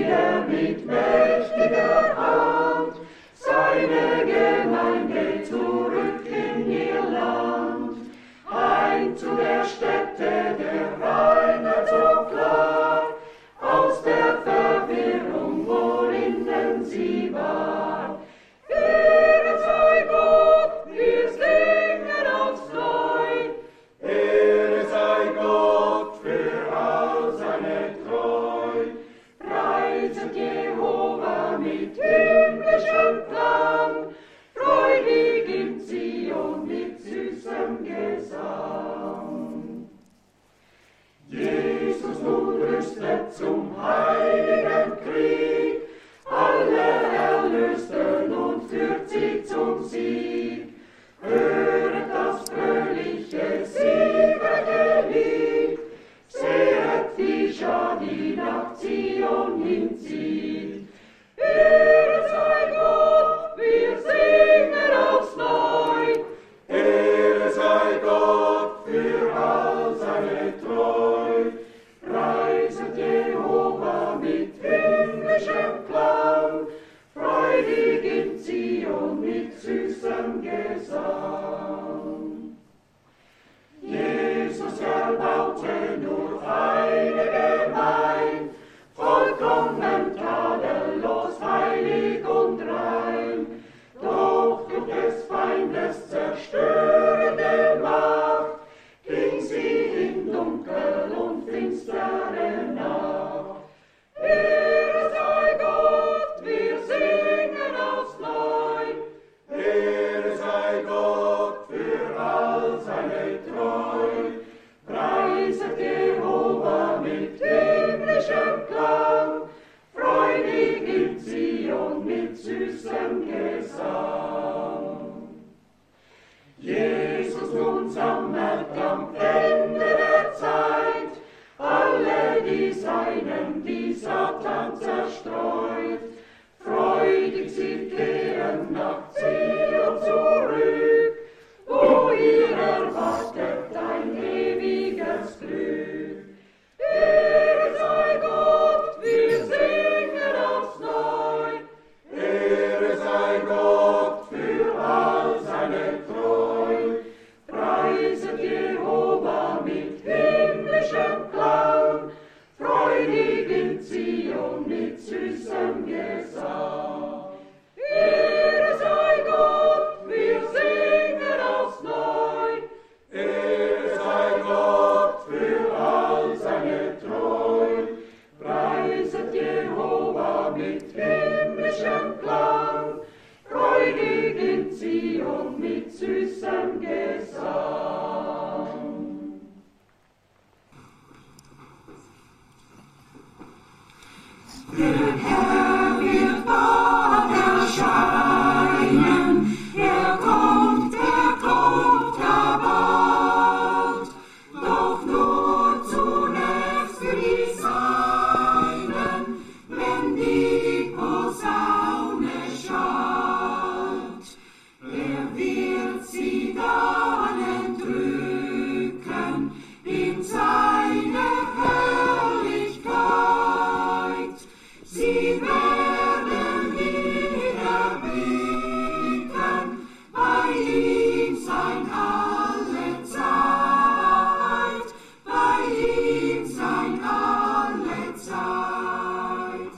er mit mächtiger Hand seine Gemeinde zurück in ihr Land. Heim zu der Stätte der Reinheit so klar, aus der Verwirrung, worinnen sie war. Ehre sei Gott, wir singen aufs Neu. Ehre sei Gott für all seine Treu. Preiset Jehova mit himmlischem Klang, freudig in Zion mit süßem Gesang. Jesus nun rüstet zum heiligen Krieg, alle Erlösten und führt sie zum Sieg. Höret das fröhliche, siegreiche Lied, sehet die Schar, die nach Zion hinzieht. Ehre sei Gott, wir singen aufs Neu. Ehre sei Gott für all seine Treu. Preiset Jehova mit himmlischem Klang, freudig in Zion mit süßem Gesang. Jesus erbaute nur eine Gemeinde, vollkommen tadellos, heilig und rein. Doch durch des Feindes zerstörende Macht ging sie in Dunkel und finstere Nacht. Ehre sei Gott, wir singen aufs Neu. Ehre sei Gott für all seine Treu. Preiset Jehova mit himmlischem Klang, freudig in Zion mit süßem Gesang. Jesus nun sammelt am Ende der Zeit alle die Seinen, die Satan zerstreut. Freudig sie kehren nach Zion zurück, wo ihr erwartet ein ewiges Glück. Ehre sei Gott, wir singen aufs Neu. Ehre sei Gott für all seine Treu. Preiset Jehova mit himmlischem Klang, freudig in Zion mit süßem Gesang. Ehre sei Gott, wir singen aufs Neu. Ehre sei Gott für all seine Treu. Preiset Jehova mit himmlischem Klang, freudig in Zion mit süßem Gesang. Der Herr wird bald erscheinen, er kommt bald, doch nur zunächst für die Seinen, wenn die Posaune schallt. Er wird sie dann entrücken in seine Herrlichkeit. Sie werden wieder blicken, bei ihm sein alle Zeit, bei ihm sein alle Zeit.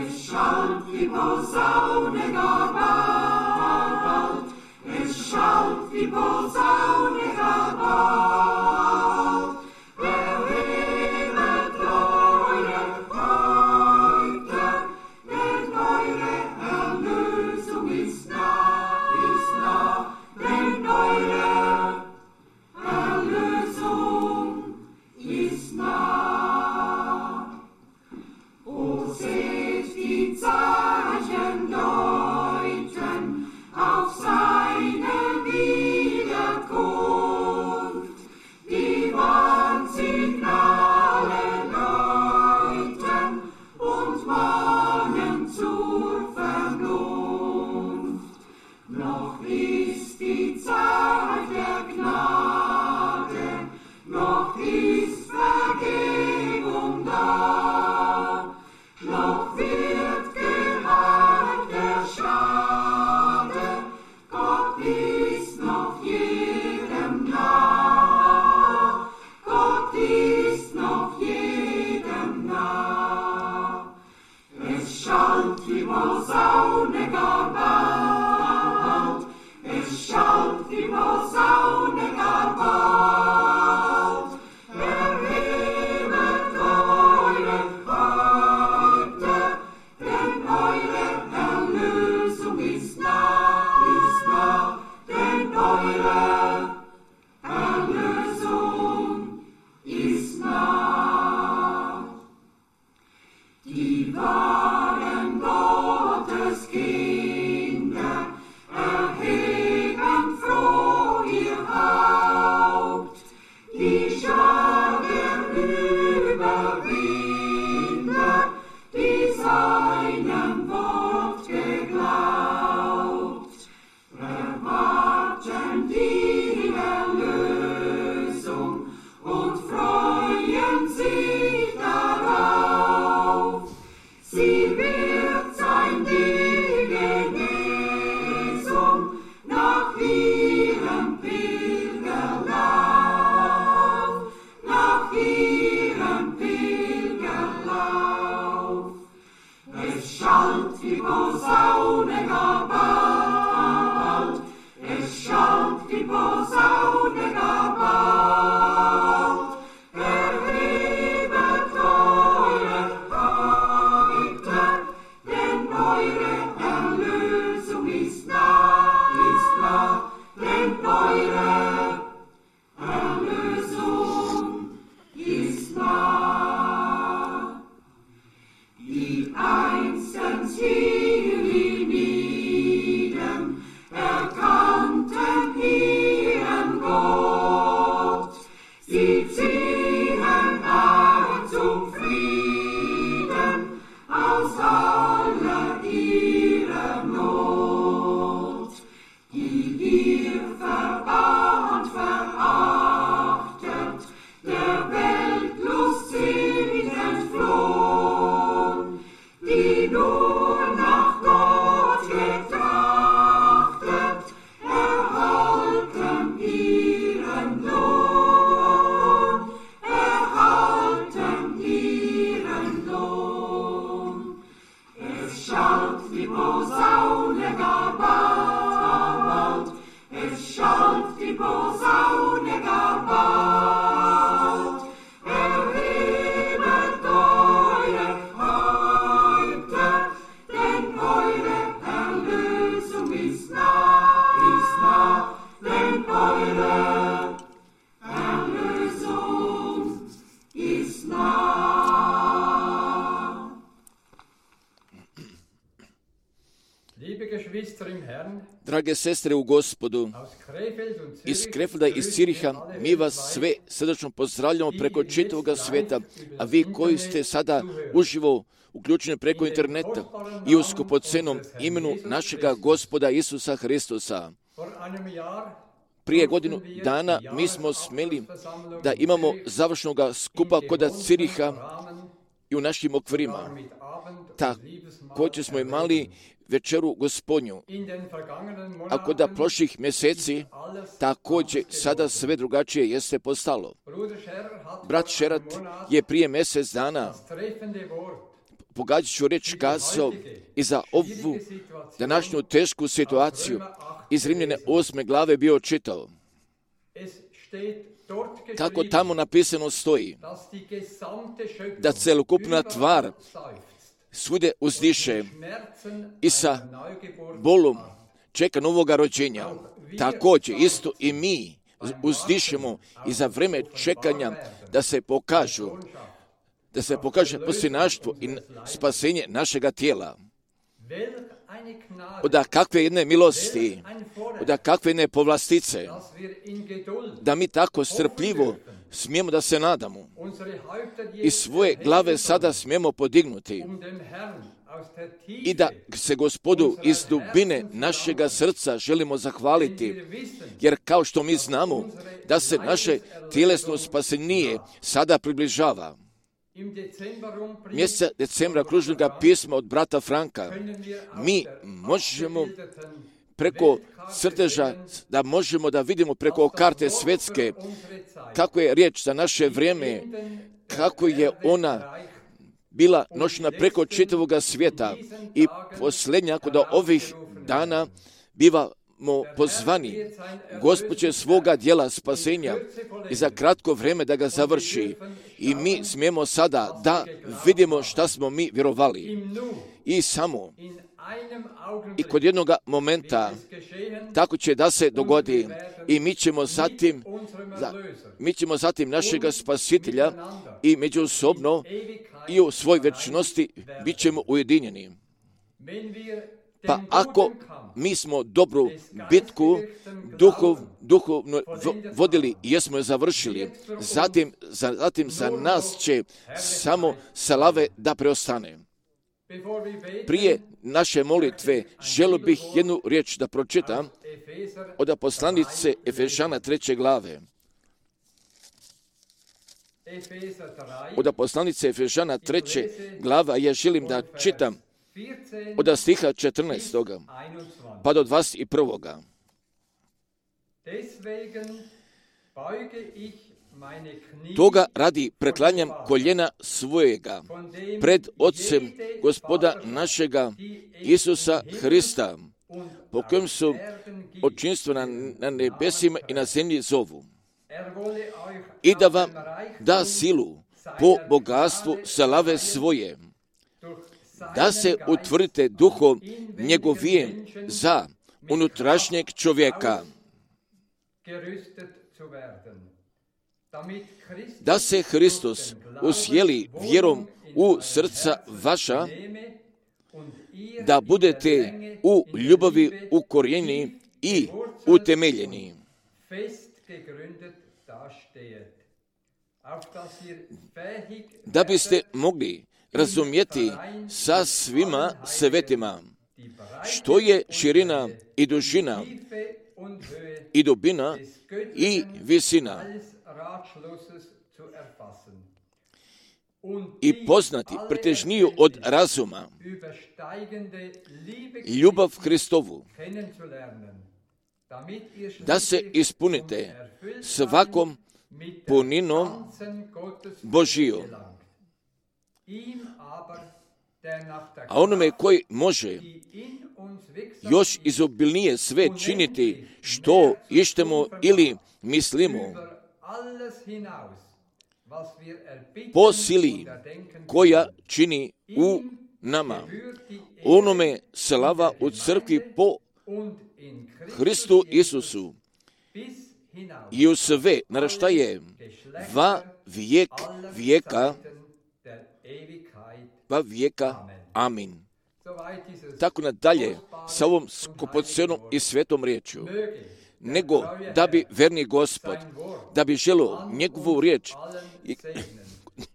Es schallt die Posaune gar bald, es schallt die Posaune gar bald. Erhebet eure Häupter, denn eure Erlösung ist nah, denn eure Erlösung ist nah. O seht die Zeichen dort, Drage sestre u Gospodu, iz Krefelda, iz Ciriha, mi vas sve srdačno pozdravljamo preko čitavoga sveta, a vi koji ste sada uživo uključeni preko interneta i u skupocenom imenu našega Gospoda Isusa Hristusa. Prije godinu dana mi smo smeli da imamo završnoga skupa kod Ciriha i u našim okvirima. Također smo imali večeru Gospodnju. A kod prošlih mjeseci također sada sve drugačije jeste postalo. Brat Šerat je prije mjesec dana, pogađajuću riječ, kazao i za ovu današnju tešku situaciju iz Rimljane 8. glave bio čitao. Kako tamo napisano stoji, da celokupna tvar svude uzdiše i sa bolom čeka novoga rođenja. Također isto i mi uzdišemo i za vrijeme čekanja da se pokaže posljednaštvo i spasenje našega tijela. Od kakve jedne milosti, od kakve jedne povlastice, da mi tako strpljivo smijemo da se nadamo i svoje glave sada smijemo podignuti i da se Gospodu iz dubine našega srca želimo zahvaliti, jer kao što mi znamo da se naše tjelesno spasenje sada približava. Mjeseca decembra kružnoga pisma od brata Franka mi možemo preko crteža, da možemo da vidimo preko karte svjetske kako je riječ za naše vrijeme, kako je ona bila nošena preko čitavoga svijeta i posljednja kod ovih dana bivamo pozvani Gospod će svoga djela spasenja i za kratko vrijeme da ga završi i mi smijemo sada da vidimo šta smo mi vjerovali i samo i kod jednog momenta tako će da se dogodi i mi ćemo zatim našega spasitelja i međusobno i u svoj vječnosti bit ćemo ujedinjeni. Pa ako mi smo dobru bitku duhovno vodili i jesmo je završili, zatim za nas će samo slave da preostane. Prije naše molitve želio bih jednu riječ da pročitam od poslanice Efežana 3. glave. Od poslanice Efežana 3. glava ja želim da čitam od stiha 14. pa do 21. Toga radi preklanjam koljena svojega pred Otcem Gospoda našega Isusa Hrista, po kojem su očinstvo na nebesima i na zemlji zovu, i da vam da silu po bogatstvu slave svoje, da se utvrdite duhom njegovijem za unutrašnjeg čovjeka, da se Hristos usjeli vjerom u srca vaša, da budete u ljubavi ukorijenjeni i utemeljeni, da biste mogli razumjeti sa svima svetima što je širina i dužina i dubina i visina, i poznati pretežniju od razuma ljubav Hristovu, da se ispunite svakom puninom Božijom. A onome koji može još izobilnije sve činiti što ištemo ili mislimo, po sili koja čini u nama, onome slava u crkvi po Hristu Isusu i u sve naraštaje va vijeka. Amin. tako nadalje sa ovom skupocenom i svetom riječju, nego da bi verni Gospod, da bi želio njegovu riječ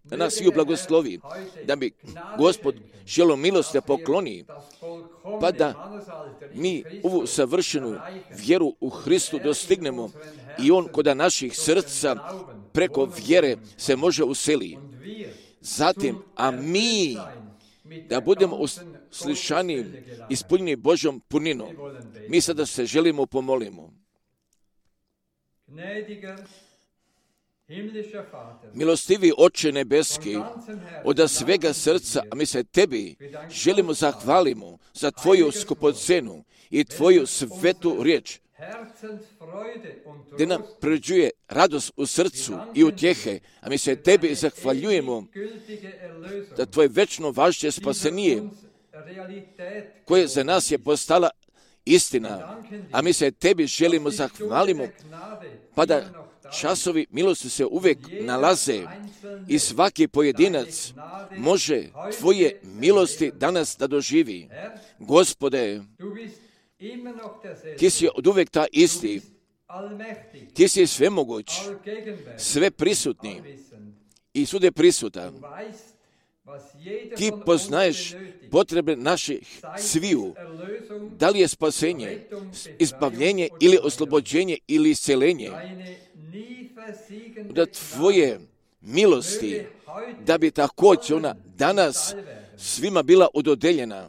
da nas svi blagoslovi, da bi Gospod želio milost da pokloni, pa da mi ovu savršenu vjeru u Hristu dostignemo i on kod naših srca preko vjere se može useli. Zatim, a mi da budemo uslišani, ispunjeni Božjom puninom. Mi sada se želimo pomolimo. Milostivi Oče nebeski, od svega srca, a mi se tebi želimo zahvalimo za tvoju skupocenu i tvoju svetu riječ, gdje nam pređuje radost u srcu i utjehe, a mi se tebi zahvaljujemo za tvoje večno važće spasenije, koje za nas je postala istina, a mi se tebi želimo zahvalimo, pa da časovi milosti se uvijek nalaze i svaki pojedinac može tvoje milosti danas da doživi. Gospode, ti si od uvijek ta isti, ti si svemoguć, sve prisutni i svude prisutan. Ti poznaješ potrebe naših sviju, da li je spasenje, izbavljenje ili oslobođenje ili isceljenje, da tvoje milosti, da bi također ona danas svima bila ododeljena.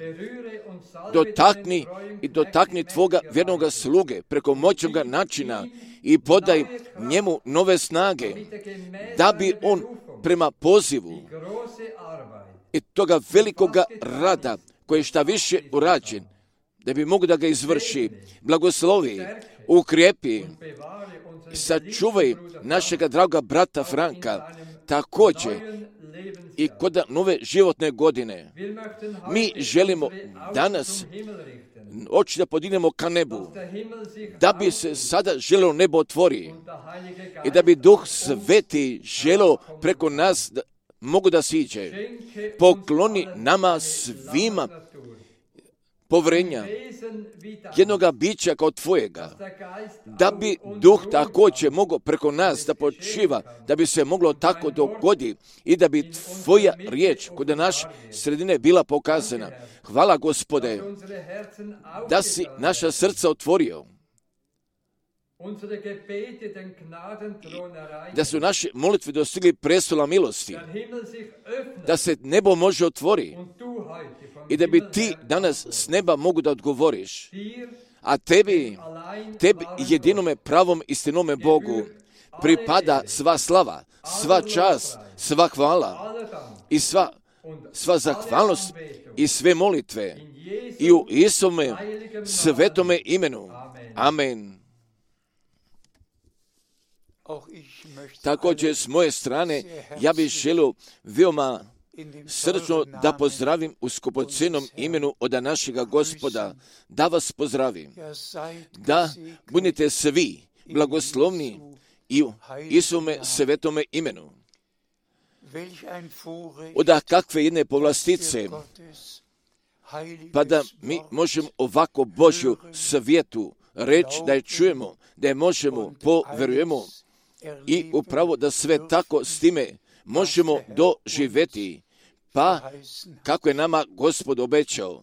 Dotakni tvoga vjernoga sluge preko moćnoga načina i podaj njemu nove snage, da bi on prema pozivu i toga velikoga rada koji šta više urađen, da bi mogu da ga izvrši, blagoslovi, ukrijepi, sačuvaj našega draga brata Franka, također i kod nove životne godine. Mi želimo danas oči da podignemo ka nebu, da bi se sada želelo nebo otvori i da bi Duh Sveti želeo preko nas da mogu da siđe. Pokloni nama svima povrenja jednoga bića kao tvojega, da bi Duh također mogao preko nas da počiva, da bi se moglo tako dogodi i da bi tvoja riječ kod naše sredine bila pokazana. Hvala Gospode, da si naša srca otvorio, da su naše molitve dostigli prestola milosti, da se nebo može otvori i da bi ti danas s neba mogu da odgovoriš. A tebi jedinome pravom istinome Bogu pripada sva slava, sva čast, sva hvala i sva zahvalnost i sve molitve i u Isome svetome imenu. Amen. Također s moje strane ja bih želio veoma srčno da pozdravim u skupocenom imenu od našega Gospoda, da vas pozdravim, da budete svi blagoslovni i u Isome svetome imenu. Od kakve jedne povlastice, pa da mi možemo ovako Božju svjetu reći, da je čujemo, da je možemo, poverujemo i upravo da sve tako s time možemo doživjeti, pa kako je nama Gospod obećao.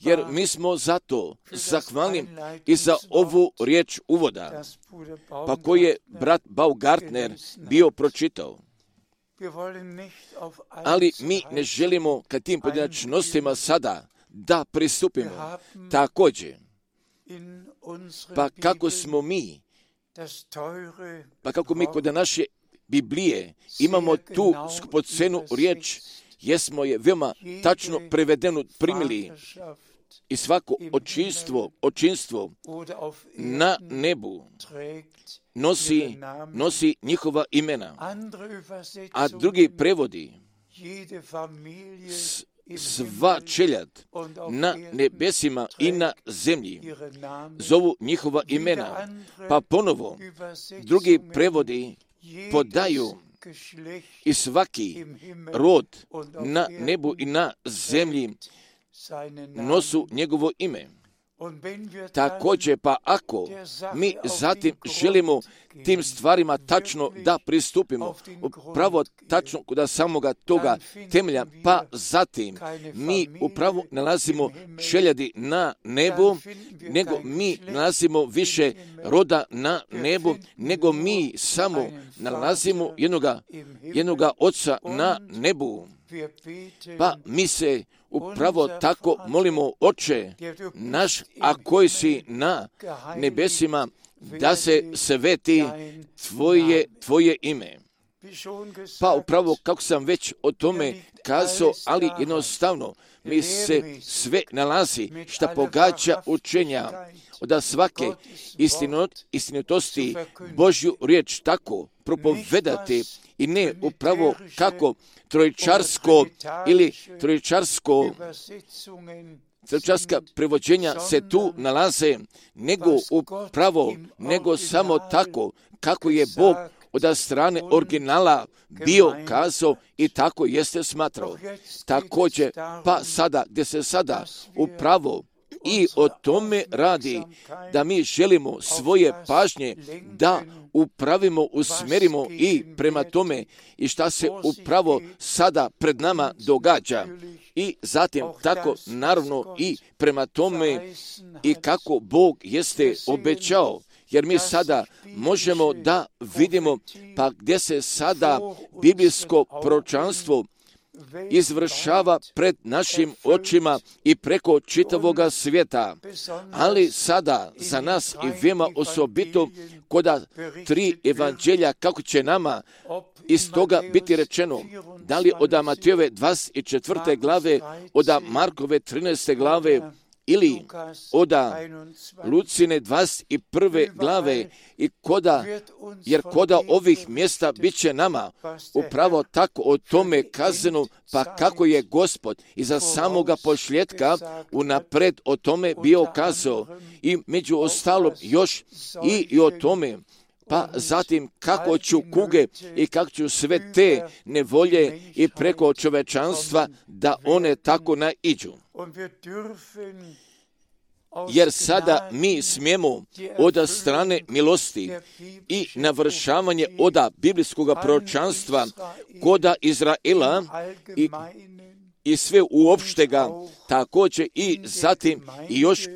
Jer mi smo zato zahvalni i za ovu riječ uvoda, pa koji je brat Baumgartner bio pročitao. Ali mi ne želimo ka tim pojedinačnostima sada da pristupimo. Također, pa kako mi kod naše Biblije imamo tu skupocenu riječ, jesmo je veoma tačno prevedenu primili i svako očinstvo na nebu nosi njihova imena, a drugi prevodi sva čeljad na nebesima i na zemlji zovu njihova imena, pa ponovo drugi prevodi podaju i svaki rod na nebu i na zemlji nosu njegovo ime. Također, pa ako mi zatim želimo tim stvarima tačno da pristupimo, upravo tačno kod samoga toga temelja, pa zatim mi upravo nalazimo čeljadi na nebu, nego mi nalazimo više roda na nebu, nego mi samo nalazimo jednoga Oca na nebu. Pa mi se upravo tako molimo, Oče naš, a koji si na nebesima, da se sveti Tvoje ime. Pa upravo kako sam već o tome kazao, ali jednostavno mi se sve nalazi šta pogađa učenja od svake istinitosti Božju riječ tako propovedati i ne upravo kako trojičarska prevođenja se tu nalaze, nego samo tako kako je Bog od strane originala bio kazao i tako jeste smatrao. Također, pa sada, gdje se sada upravo i o tome radi, da mi želimo svoje pažnje da upravimo, usmerimo i prema tome i šta se upravo sada pred nama događa. I zatim tako naravno i prema tome i kako Bog jeste obećao. Jer mi sada možemo da vidimo pa gdje se sada biblijsko proročanstvo izvršava pred našim očima i preko čitavoga svijeta. Ali sada za nas i veoma osobito koda 3 evanđelja kako će nama iz toga biti rečeno, da li od Matejove 24. glave, od Markove 13. glave, ili od Lucine 21. glave, jer koda ovih mjesta bit će nama upravo tako o tome kazano, pa kako je Gospod iza samoga pošljetka unapred o tome bio kazao i među ostalom još i o tome, pa zatim kako ću kuge i kako ću sve te nevolje i preko čovečanstva da one tako naiđu. Jer sada mi smijemo od strane milosti i navršavanje od biblijskog proročanstva koda Izraela i sve uopštega, također i zatim i još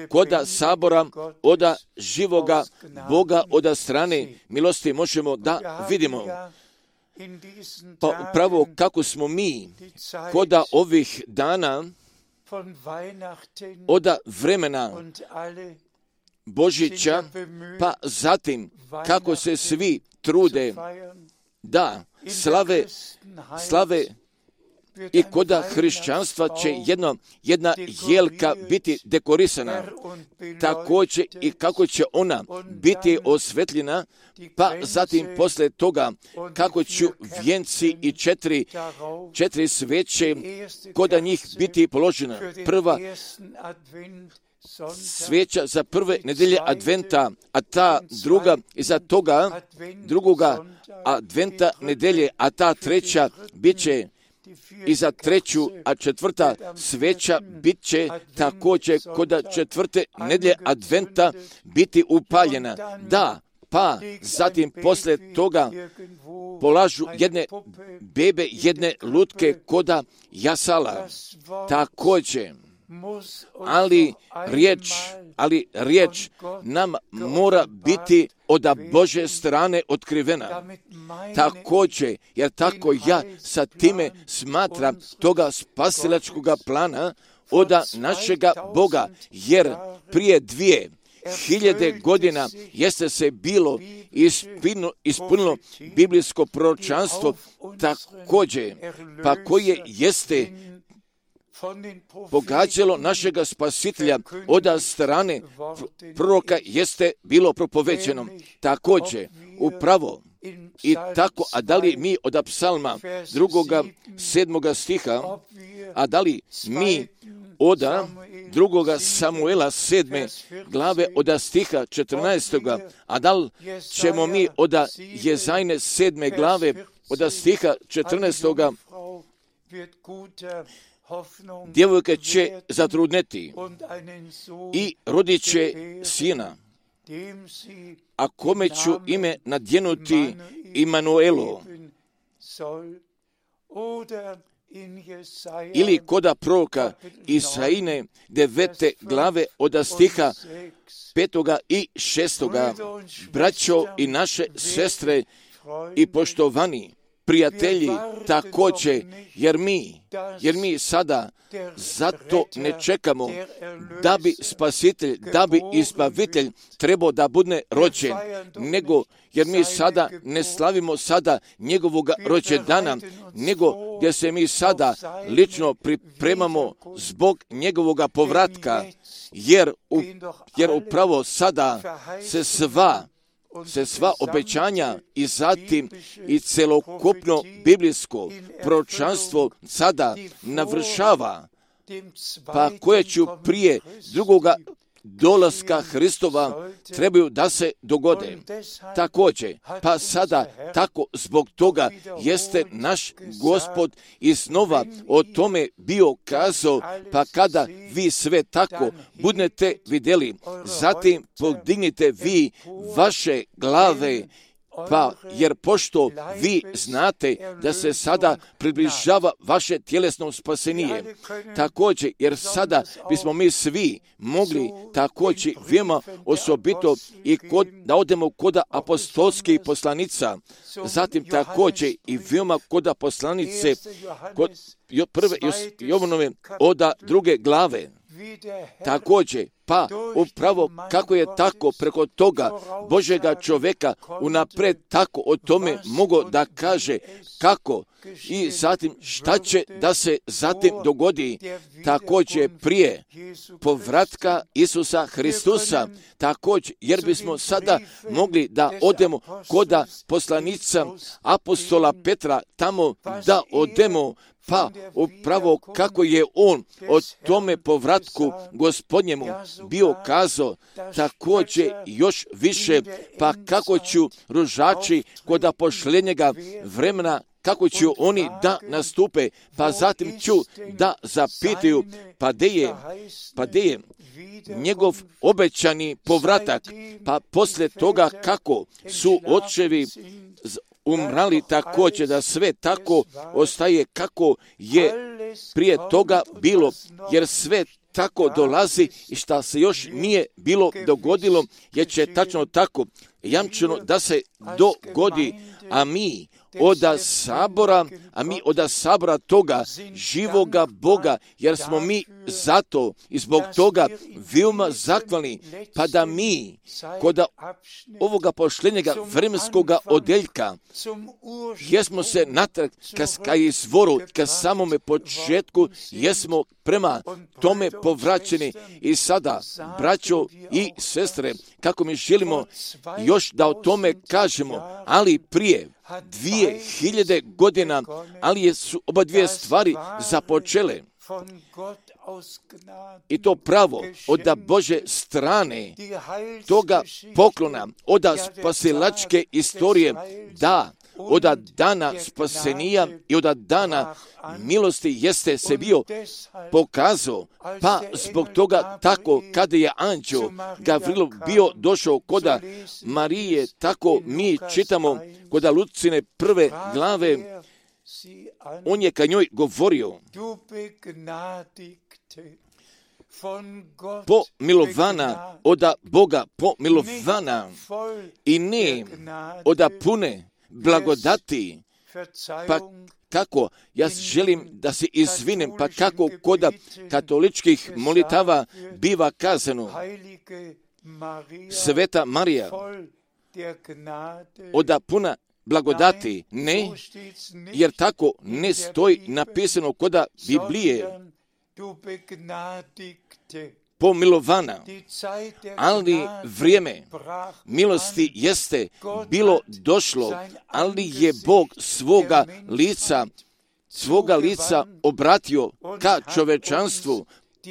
koda sabora od živoga Boga od strane milosti možemo da vidimo. Pa upravo kako smo mi koda ovih dana od vremena Božića, pa zatim kako se svi trude da slave i koda hrišćanstva će jedna jelka biti dekorisana, također i kako će ona biti osvetljena, pa zatim posle toga kako ću vijenci i četiri sveće koda njih biti položena. Prva sveća za prve nedelje adventa, a ta druga iza toga drugoga adventa nedelje, a ta treća bit će i za treću, a četvrta sveća bit će također kod četvrte nedelje adventa biti upaljena. Da, pa zatim posle toga polažu jedne bebe, jedne lutke koda jasala. Također, ali riječ nam mora biti od Božje strane otkrivena. Također, jer tako ja sa time smatram toga spasilačkog plana od našega Boga, jer prije 2000 godina jeste se bilo ispunilo biblijsko proročanstvo također, pa koje jeste pogađalo našega spasitelja od strane proroka jeste bilo propovećeno. Također, upravo i tako, a da li mi od psalma 7. stiha, a da li mi od 2. Samuela 7. glave od stiha 14. a da li ćemo mi od Jezajne 7. glave od stiha 14. djevojka će zatrudneti i rodit će sina, a kome ću ime nadjenuti Imanuelo. Ili koda proroka Isaine 9. glave od stiha 5. i 6. Braćo i naše sestre i poštovani prijatelji također, jer mi sada zato ne čekamo da bi spasitelj, da bi izbavitelj trebao da bude rođen, nego jer mi sada ne slavimo sada njegovog rođendana, nego gdje se mi sada lično pripremamo zbog njegovog povratka, jer upravo sada se sva obećanja i zatim i celokupno biblijsko proročanstvo sada navršava, pa koje ću prije drugoga dolaska Hristova trebaju da se dogode. Također, pa sada tako zbog toga jeste naš Gospod iznova o tome bio kazao, pa kada vi sve tako budete vidjeli, zatim podignite vi vaše glave, pa jer pošto vi znate da se sada približava vaše tjelesno spasenije, također jer sada bismo mi svi mogli također veoma osobito i da odemo kod apostolskih poslanica, zatim također i veoma kod poslanice kod prve Jovanove od 2. glave. Također, pa upravo kako je tako preko toga Božjega čovjeka unapred tako o tome mogo da kaže kako i zatim šta će da se zatim dogodi, također prije povratka Isusa Hristusa, također jer bismo sada mogli da odemo koda poslanica apostola Petra tamo da odemo, pa upravo kako je on o tome povratku Gospodnjemu bio kazao, također još više, pa kako ću ružači kod pošljenjega vremena, kako će oni da nastupe, pa zatim ću da zapitaju, pa gdje je njegov obećani povratak, pa poslije toga kako su očevi umrali, također da sve tako ostaje kako je prije toga bilo, jer sve tako dolazi i šta se još nije bilo dogodilo, jer će tačno tako jamčeno da se dogodi, a mi od sabora toga živoga Boga, jer smo mi zato i zbog toga veoma zahvalni, pa da mi kod ovoga pošljenjega vremenskoga odeljka jesmo se natrag ka izvoru, ka samome početku, jesmo prema tome povraćeni i sada, braćo i sestre, kako mi želimo još da o tome kažemo, ali prije 2000 godina, ali su oba dvije stvari započele. I to pravo od Bože strane, toga poklona, od spasilačke istorije, da, od dana spasenija i od dana milosti jeste se bio pokazao, pa zbog toga tako kada je anđeo Gavrilo bio došao koda Marije, tako mi čitamo koda Lucine 1. glave, on je ka njoj govorio, pomilovana od Boga, pomilovana i ne od pune blagodati, pa kako, ja želim da se izvinem, pa kako kod katoličkih molitava biva kazano, Sveta Marija, od puna blagodati, ne, jer tako ne stoji napisano kod Biblije, pomilovana, ali vrijeme milosti jeste bilo došlo, ali je Bog svoga lica obratio ka čovečanstvu,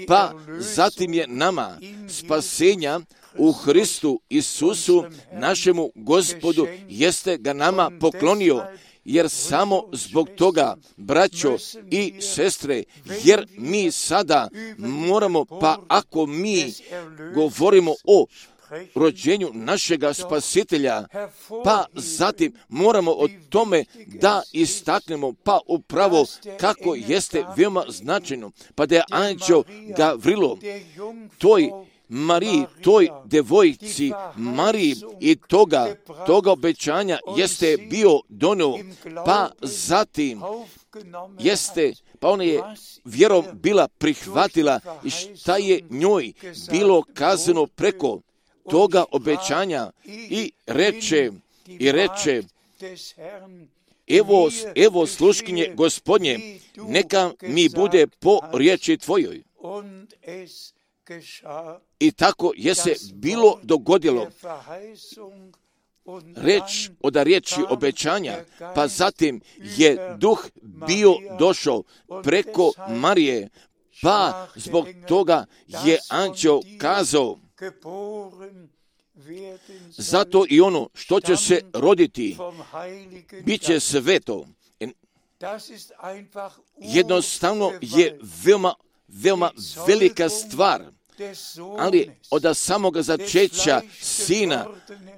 pa zatim je nama spasenja u Hristu Isusu, našemu Gospodu, jeste ga nama poklonio, jer samo zbog toga, braćo i sestre, jer mi sada moramo, pa ako mi govorimo o rođenju našega Spasitelja, pa zatim moramo o tome da istaknemo, pa upravo kako jeste veoma značajno, pa da je anđeo Gavrilo toj Mariji, toj devojci Mariji i toga obećanja jeste bio donio, pa zatim jeste, pa ona je vjerom bila prihvatila i šta je njoj bilo kazano preko toga obećanja i reče, evo sluškinje Gospodnje, neka mi bude po riječi tvojoj. I tako je se bilo dogodilo. Reč od riječi obećanja, pa zatim je duh bio došao preko Marije, pa zbog toga je anđeo kazao, zato i ono što će se roditi, bit će sveto. Jednostavno je veoma velika stvar, ali od samoga začeća sina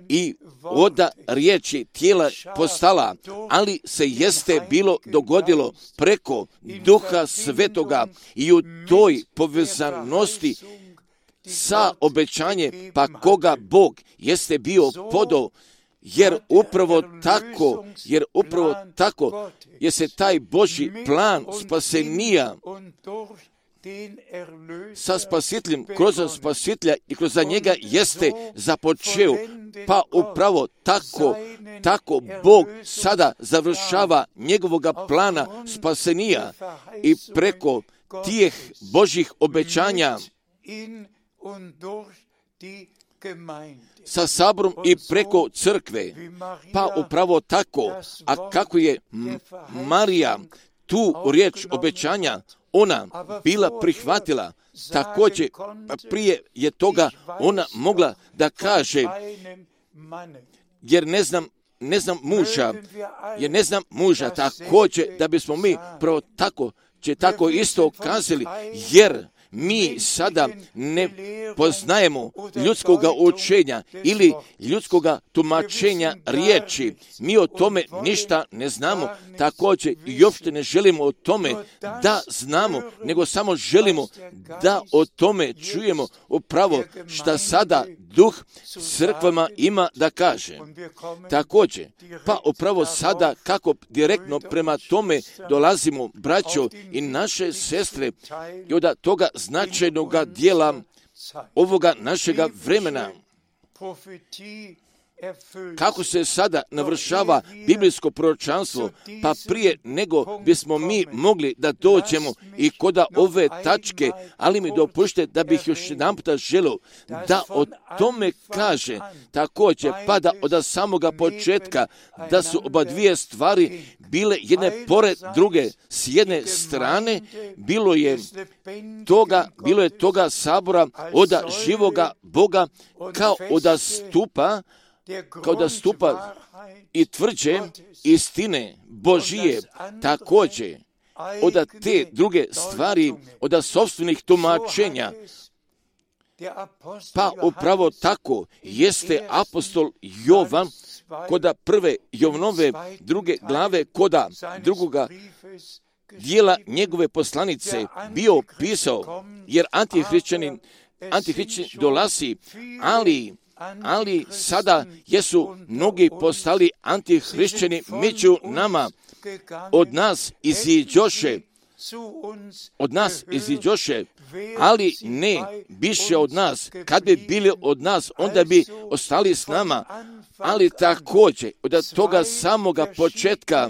i od riječi tijela postala, ali se jeste bilo dogodilo preko Duha Svetoga i u toj povezanosti sa obećanje, pa koga Bog jeste bio podao, jer upravo tako je se taj Božji plan spasenija sa spasiteljem, kroz spasitelja i kroz njega jeste započeo, pa upravo tako Bog sada završava njegovoga plana spasenija i preko tih Božjih obećanja sa saborom i preko crkve, pa upravo tako, a kako je Marija tu riječ obećanja ona bila prihvatila, također prije je toga ona mogla da kaže, jer ne znam muža, također da bismo mi pravo tako isto kazali, jer mi sada ne poznajemo ljudskoga učenja ili ljudskoga tumačenja riječi. Mi o tome ništa ne znamo, također i uopšte ne želimo o tome da znamo, nego samo želimo da o tome čujemo upravo šta sada Duh crkvama ima da kaže. Također, pa upravo sada kako direktno prema tome dolazimo, braćo i naše sestre, i od toga značajnog dijela ovoga našega vremena, kako se sada navršava biblijsko proročanstvo, pa prije nego bismo mi mogli da dođemo i kod ove tačke, ali mi dopušte da bih još jedan puta želio da o tome kaže također, pa da od samoga početka da su oba dvije stvari bile jedne pored druge. S jedne strane bilo je toga sabora od živoga Boga kao da stupa i tvrđe istine Božije, također od te druge stvari, od sopstvenih tumačenja. Pa upravo tako jeste apostol Jovan koda prve Jovanove druge glave, koda drugoga dijela njegove poslanice bio pisao, jer antihrišćanin dolazi, ali sada jesu mnogi postali antihrišćani među nama. Od nas iziđoše, ali ne biše od nas. Kad bi bili od nas, onda bi ostali s nama. Ali također, od toga samoga početka,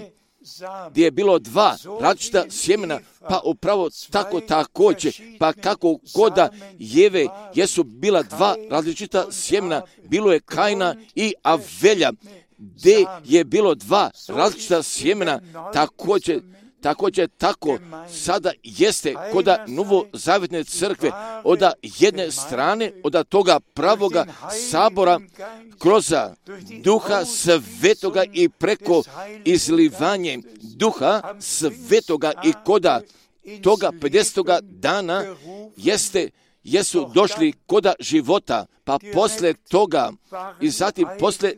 gdje je bilo dva različita sjemena, pa upravo tako također, pa kako koda Jeve jesu bila dva različita sjemena, bilo je Kaina i Avelja, gdje je bilo dva različita sjemena, također također tako sada jeste koda novozavjetne crkve, od jedne strane, od toga pravoga sabora, kroz Duha Svetoga i preko izlivanje Duha Svetoga i koda toga 50. dana jesu došli koda života, pa posle toga i zatim posle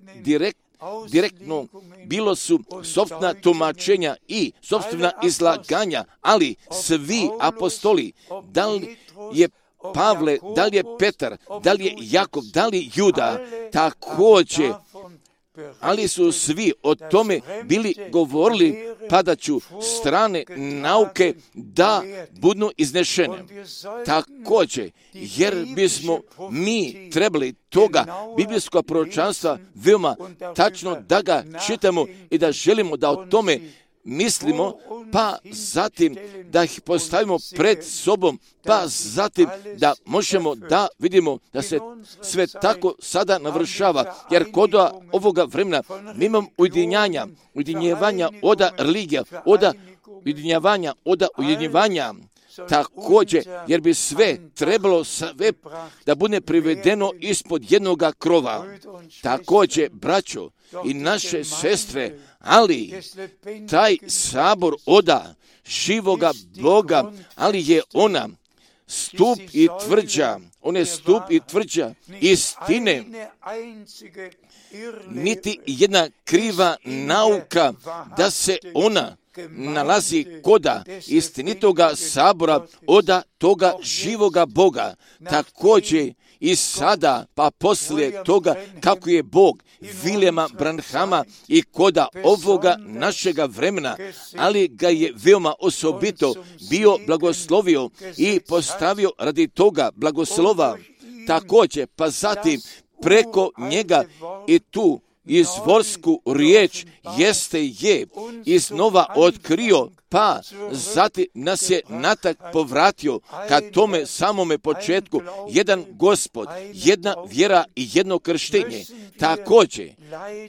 direktno bilo su sopstvena tumačenja i sopstvena izlaganja, ali svi apostoli, da li je Pavle, da li je Petar, da li je Jakov, da li Juda, također, ali su svi o tome bili govorili, padaću strane nauke da budu iznešene. Također, jer bismo mi trebali toga biblijskog proročanstva veoma tačno da ga čitamo i da želimo da o tome mislimo, pa zatim da ih postavimo pred sobom, pa zatim da možemo da vidimo da se sve tako sada navršava, jer kod ovoga vremena mi imamo ujedinjavanja od religija, od ujedinjavanja, također, jer bi sve trebalo da bude privedeno ispod jednoga krova. Također, braćo i naše sestre, ali taj sabor oda živoga Boga, ali je ona stup i tvrđa istine, niti jedna kriva nauka da se ona nalazi koda istinitoga sabora oda toga živoga Boga. Također i sada, pa poslije toga kako je Bog Viljama Branhama i koda ovoga našega vremena, ali ga je veoma osobito bio blagoslovio i postavio radi toga blagoslova. Također, pa zatim preko njega i tu izvorsku riječ je iznova otkrio, pa zatim nas je natak povratio ka tome samome početku, jedan Gospod, jedna vjera i jedno krštenje.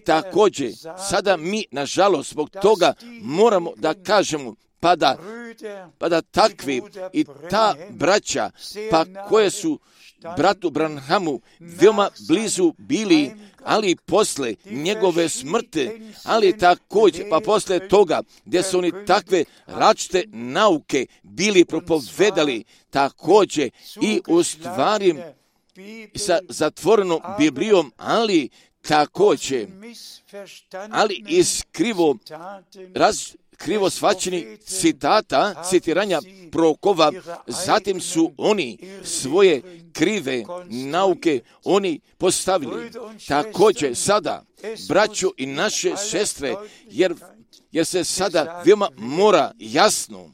Također, sada mi, nažalost, zbog toga moramo da kažemo, pa da takvi i ta braća, pa koje su bratu Branhamu veoma blizu bili, ali posle njegove smrti, ali također, pa posle toga, gdje su oni takve različite nauke bili propovedali, također i u stvari sa zatvorenom Biblijom, ali također, ali iz krivo shvaćeni citiranja prorokova, zatim su oni svoje krive nauke oni postavili. Također sada, braćo i naše sestre, jer se sada veoma mora jasno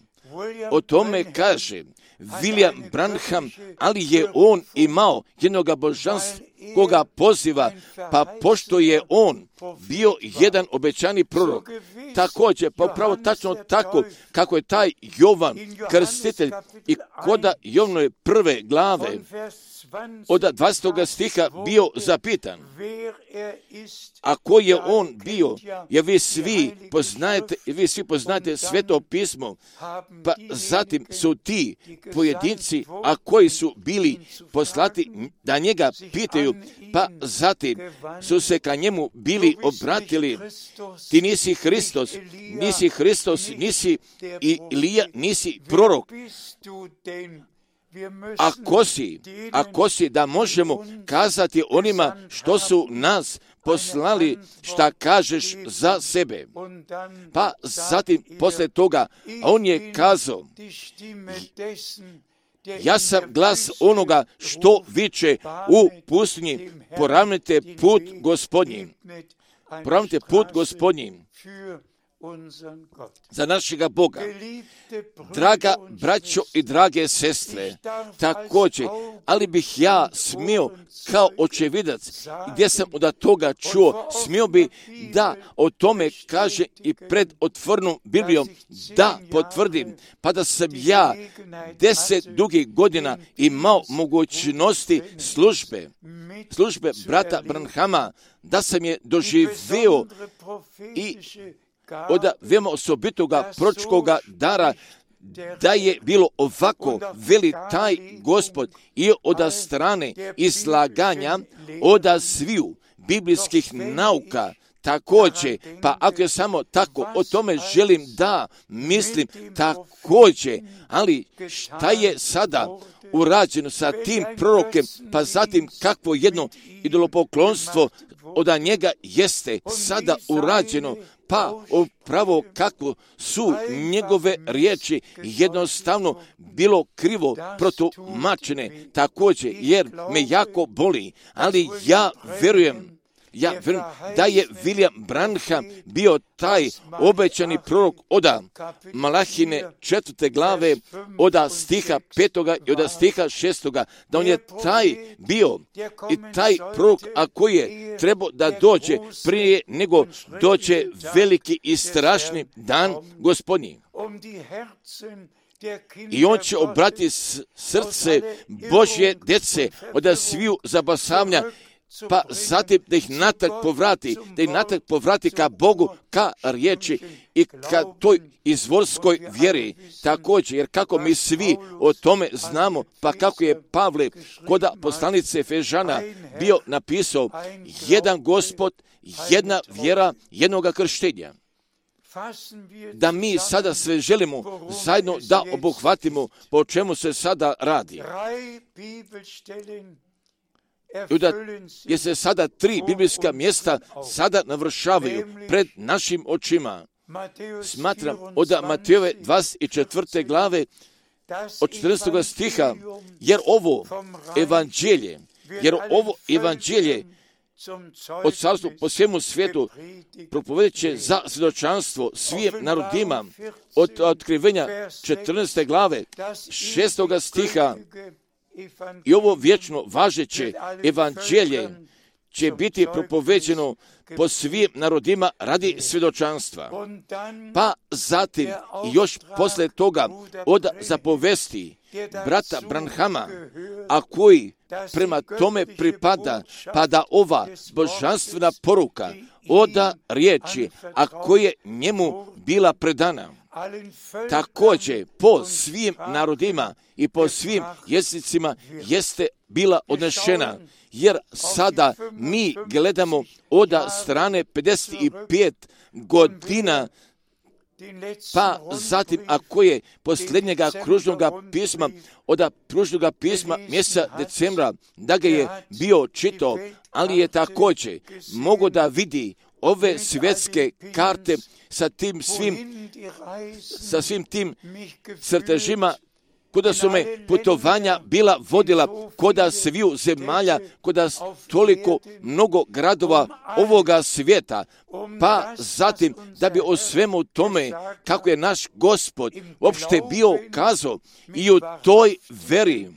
o tome kaže William Branham, ali je on imao jednoga božanskoga poziva, pa pošto je on bio jedan obećani prorok, također, pa upravo tačno tako kako je taj Jovan Krstitelj i koda Jovanove prve glave od 20. stiha bio zapitan, a ko je on bio, jer vi svi poznajete Sveto pismo, pa zatim su ti pojedinci, a koji su bili poslati da njega pitaju, pa zatim su se ka njemu bili obratili, ti nisi Hristos, nisi Ilija, nisi prorok. Ako si da možemo kazati onima što su nas poslali, šta kažeš za sebe. Pa zatim posle toga on je kazao, ja sam glas onoga što viče u pustinji, poravnajte put Gospodnji. Poravnajte put Gospodnji za našega Boga. Draga braćo i drage sestre, također, ali bih ja smio kao očevidac, gdje sam od toga čuo, smio bi da o tome kaže i pred otvorenom Biblijom, da potvrdim, pa da sam ja 10 dugih godina imao mogućnosti službe brata Branhama, da sam je doživio i od veoma osobitoga proročkoga dara, da je bilo ovako, veli taj Gospod, i od strane izlaganja od sviju biblijskih nauka. Također, pa ako je samo tako, o tome želim da mislim također, ali šta je sada urađeno sa tim prorokem, pa zatim kakvo jedno idolopoklonstvo od njega jeste sada urađeno, pa upravo kako su njegove riječi jednostavno bilo krivo protumačene također, jer me jako boli, ali ja verujem da je William Branham bio taj obećani prorok od Malahine 4. glave, od stiha 5. i od stiha 6. da on je taj bio i taj prorok, a koji je trebao da dođe prije nego dođe veliki i strašni dan Gospodnji. I on će obratiti srce Božje djece od sviju zabasavanja, pa zatim da ih natrag povrati ka Bogu, ka riječi i ka toj izvorskoj vjeri. Također, jer kako mi svi o tome znamo, pa kako je Pavle kod poslanice Efežana bio napisao, jedan Gospod, jedna vjera, jednoga krštenja. Da mi sada sve želimo zajedno da obuhvatimo po čemu se sada radi. Jer se sada 3 biblijska mjesta sada navršavaju pred našim očima. Smatram od Matejove 24. glave od 14. stiha, jer ovo evanđelje od carstva po svemu svijetu propovedit će za svjedočanstvo svim narodima, od otkrivenja 14. glave 6. stiha. I ovo vječno važeće evanđelje će biti propoveđeno po svim narodima radi svjedočanstva. Pa zatim još posle toga od zapovesti brata Branhama, a koji prema tome pripada, pa da ova božanstvena poruka od riječi, a koja je njemu bila predana, također po svim narodima i po svim jezicima jeste bila odnešena, jer sada mi gledamo od strane 55 godina, pa zatim ako je posljednjega kružnoga pisma, od kružnoga pisma mjeseca decembra, da ga je bio čitao, ali je također mogo da vidi ove svjetske karte sa svim tim crtežima, kuda su me putovanja bila vodila, koda sviju zemalja, koda toliko mnogo gradova ovoga svijeta, pa zatim da bi o svemu tome kako je naš Gospod uopšte bio kazao i u toj veri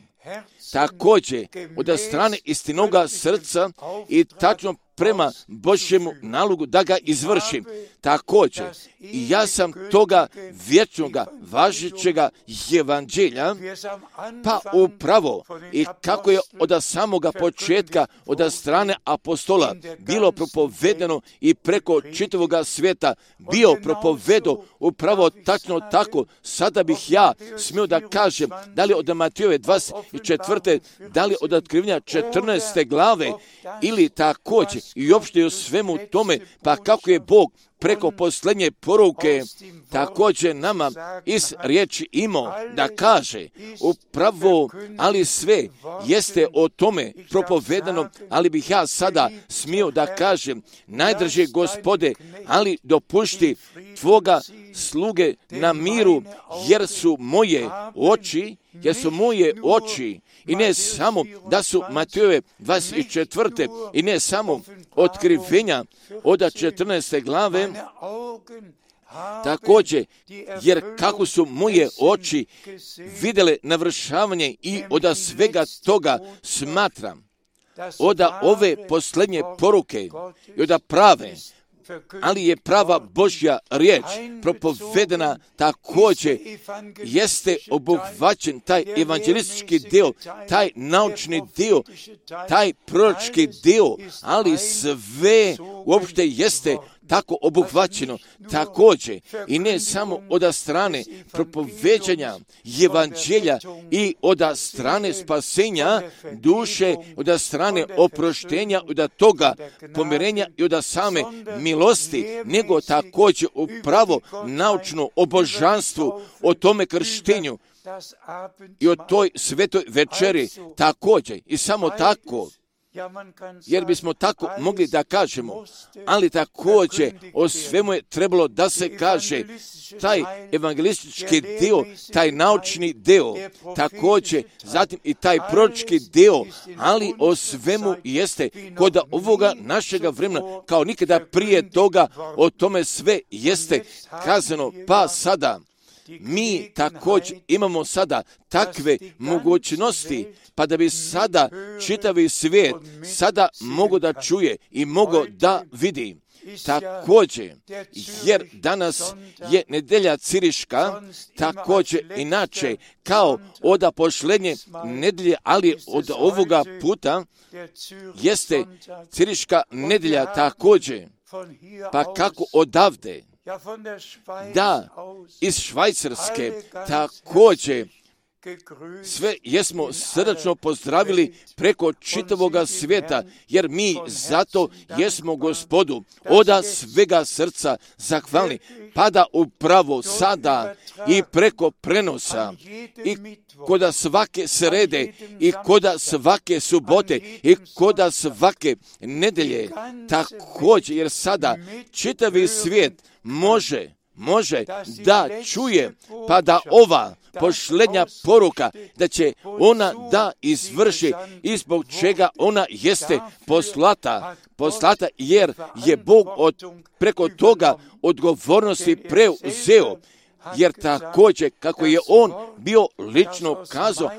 također od strane istinoga srca i tačno prema Božjemu nalogu da ga izvršim. Također, i ja sam toga vječnoga, važećega evanđelja, pa upravo i kako je od samoga početka, od strane apostola, bilo propovedeno i preko čitavoga svijeta, bio propovedo upravo tačno tako, sada bih ja smio da kažem, da li od Matejove 24. da li od otkrivenja 14. glave, ili također i uopšte u svemu tome, pa kako je Bog preko posljednje poruke također nama iz riječi imao da kaže upravo, ali sve jeste o tome propovedano, ali bih ja sada smio da kažem, najdraže Gospode, ali dopušti tvoga sluge na miru, jer su moje oči, i ne samo da su Matejove 24. i ne samo otkrivenja od 14. glave, također, jer kako su moje oči vidjele navršavanje i od svega toga smatram, od ove posljednje poruke i od prave, ali je prava Božja riječ propovedena također, jeste obuhvaćen taj evanđelistički dio, taj naučni dio, taj proročki dio, ali sve uopšte jeste tako obuhvaćeno također i ne samo od strane propoveđanja evanđelja i od strane spasenja duše, od strane oproštenja, od toga pomirenja i od same milosti, nego također upravo naučno o božanstvu, o tome krštenju i o toj svetoj večeri također i samo tako. Jer bismo tako mogli da kažemo, ali također o svemu je trebalo da se kaže taj evangelistički dio, taj naučni dio, također zatim i taj proročki dio, ali o svemu jeste kod ovoga našega vremena, kao nikada prije toga, o tome sve jeste kazano, pa sada mi također imamo sada takve mogućnosti, pa da bi sada čitavi svijet sada mogo da čuje i mogo da vidi. Također, jer danas je nedelja Ciriška, također inače kao od posljednje nedelje, ali od ovoga puta jeste Ciriška nedelja također. Pa kako odavde? Da, iz Švajcarske također sve jesmo srdačno pozdravili preko čitavoga svijeta, jer mi zato jesmo Gospodu od svega srca zahvalni, pa da upravo sada i preko prenosa i koda svake srede i koda svake subote i koda svake nedelje također, jer sada čitavi svijet može da čuje, pa da ova posljednja poruka, da će ona da izvrši i zbog čega ona jeste poslata, jer je Bog preko toga odgovornosti preuzeo. Jer također, kako je on bio lično kazao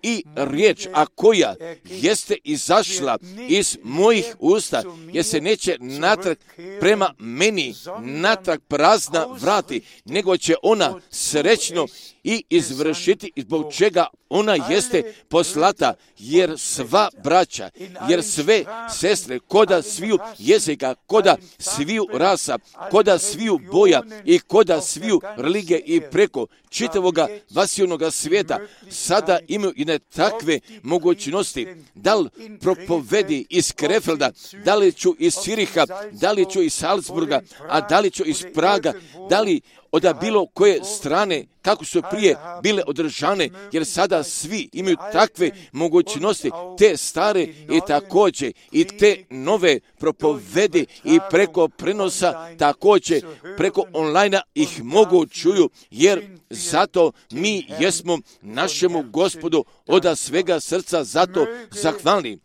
i riječ, a koja jeste izašla iz mojih usta, jer se neće natrag prema meni, natrag prazna vrati, nego će ona srećno i izvršiti, zbog čega ona jeste poslata, jer sva braća, jer sve sestre, koda sviju jezika, koda sviju rasa, koda sviju boja i koda sviju religije i preko čitavoga vasijonoga svijeta, sada imaju i ne takve mogućnosti. Da li propovedi iz Krefelda, da li ću iz Ciriha, da li ću iz Salzburga, a da li ću iz Praga, da li od bilo koje strane, kako su prije bile održane, jer sada svi imaju takve mogućnosti, te stare i također i te nove propovedi i preko prenosa, također preko online ih mogu čuju, jer zato mi jesmo našemu Gospodu od svega srca zato zahvalni.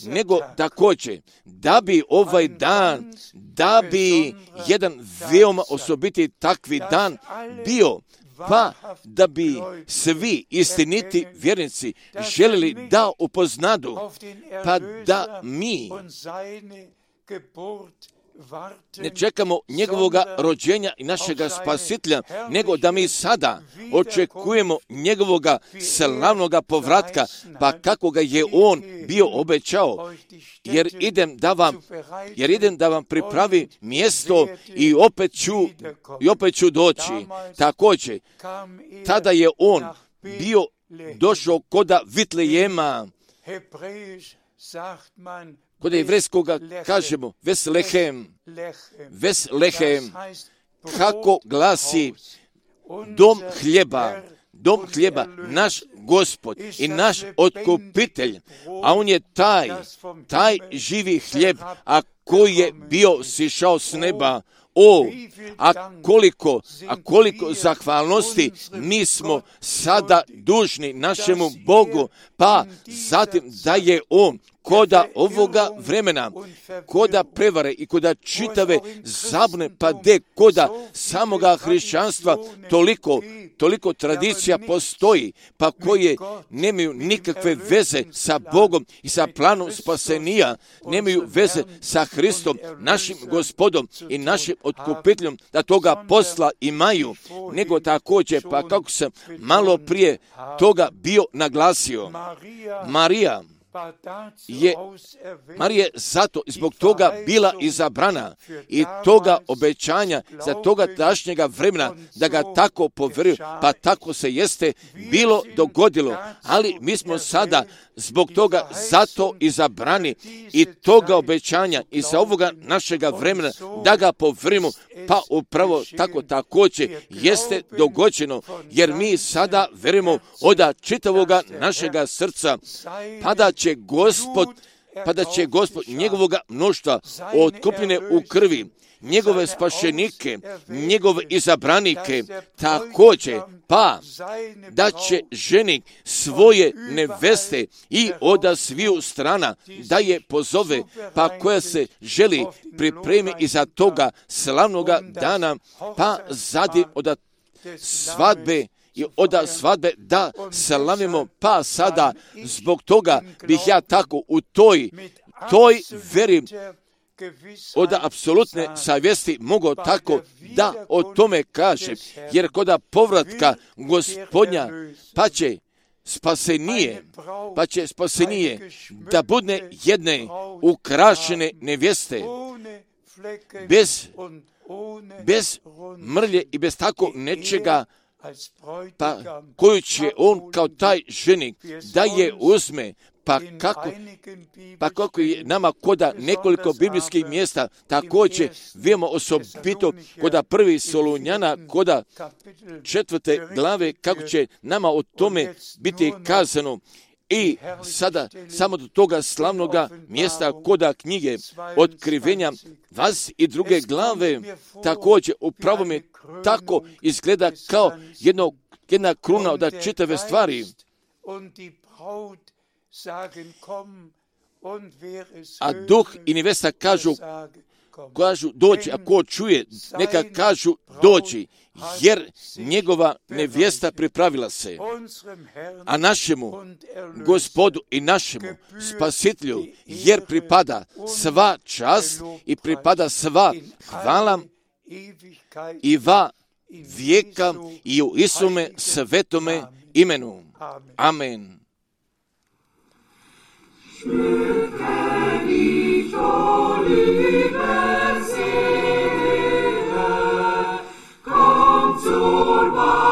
Nego također, da bi ovaj dan, da bi jedan veoma osobiti takvi dan bio, pa da bi svi istiniti vjernici želili da upoznadu, pa da mi ne čekamo njegovoga rođenja i našega spasitelja, nego da mi sada očekujemo njegovoga slavnoga povratka, pa kako ga je on bio obećao, jer idem da vam pripravi mjesto i opet ću doći. Također, tada je on bio došao koda Vitlejema, kod jevrejskoga kažemo Veslehem, kako glasi dom hljeba, naš Gospod i naš otkupitelj, a on je taj živi hljeb, a koji je bio sišao s neba. A koliko zahvalnosti mi smo sada dužni našemu Bogu, pa zatim da je on koda ovoga vremena, koda prevare i koda čitave zabune, pa koda samoga hrišćanstva toliko tradicija postoji, pa koje nemaju nikakve veze sa Bogom i sa planom spasenija, nemaju veze sa Hristom, našim Gospodom i našim otkupiteljom, da toga posla imaju, nego također, pa kako sam malo prije toga bio naglasio, Marija, je Marija zato i zbog toga bila izabrana i toga obećanja za toga tašnjega vremena da ga tako poveruju, pa tako se jeste bilo dogodilo, ali mi smo sada zbog toga zato izabrani i toga obećanja i za ovoga našega vremena da ga poverujemo, pa upravo tako također jeste dogođeno, jer mi sada verujemo od čitavoga našega srca, pa da će Gospod njegovoga mnoštva otkupljene u krvi, njegove spašenike, njegove izabranike, također, pa da će ženik svoje neveste i od sviju strana da je pozove, pa koja se želi pripremi iza toga slavnoga dana, pa zatim od svadbe i od svadbe da slavimo, pa sada zbog toga bih ja tako u toj veri od apsolutne savjesti mogao tako da o tome kažem, jer kod povratka Gospodnja pa će spasenije da bude jedne ukrašene nevjeste, bez mrlje i bez tako nečega, pa koju će on kao taj ženik da je uzme, pa kako je nama koda nekoliko biblijskih mjesta, također vidimo osobito koda 1. Solunjana, koda 4. glave, kako će nama o tome biti kazano. I sada samo do toga slavnoga mjesta koda knjige Otkrivenja 22. glave, također upravo mi tako izgleda kao jedna kruna od čitave stvari. A duh i nevesta kažu doći, a ko čuje, neka kažu doći, jer njegova nevjesta pripravila se. A našemu Gospodu i našemu Spasitelju, jer pripada sva čast i pripada sva hvala i va vijeka i u Isume svetome imenu. Amen. Schmücke dich, o liebe Seele, komm zur Wahrheit.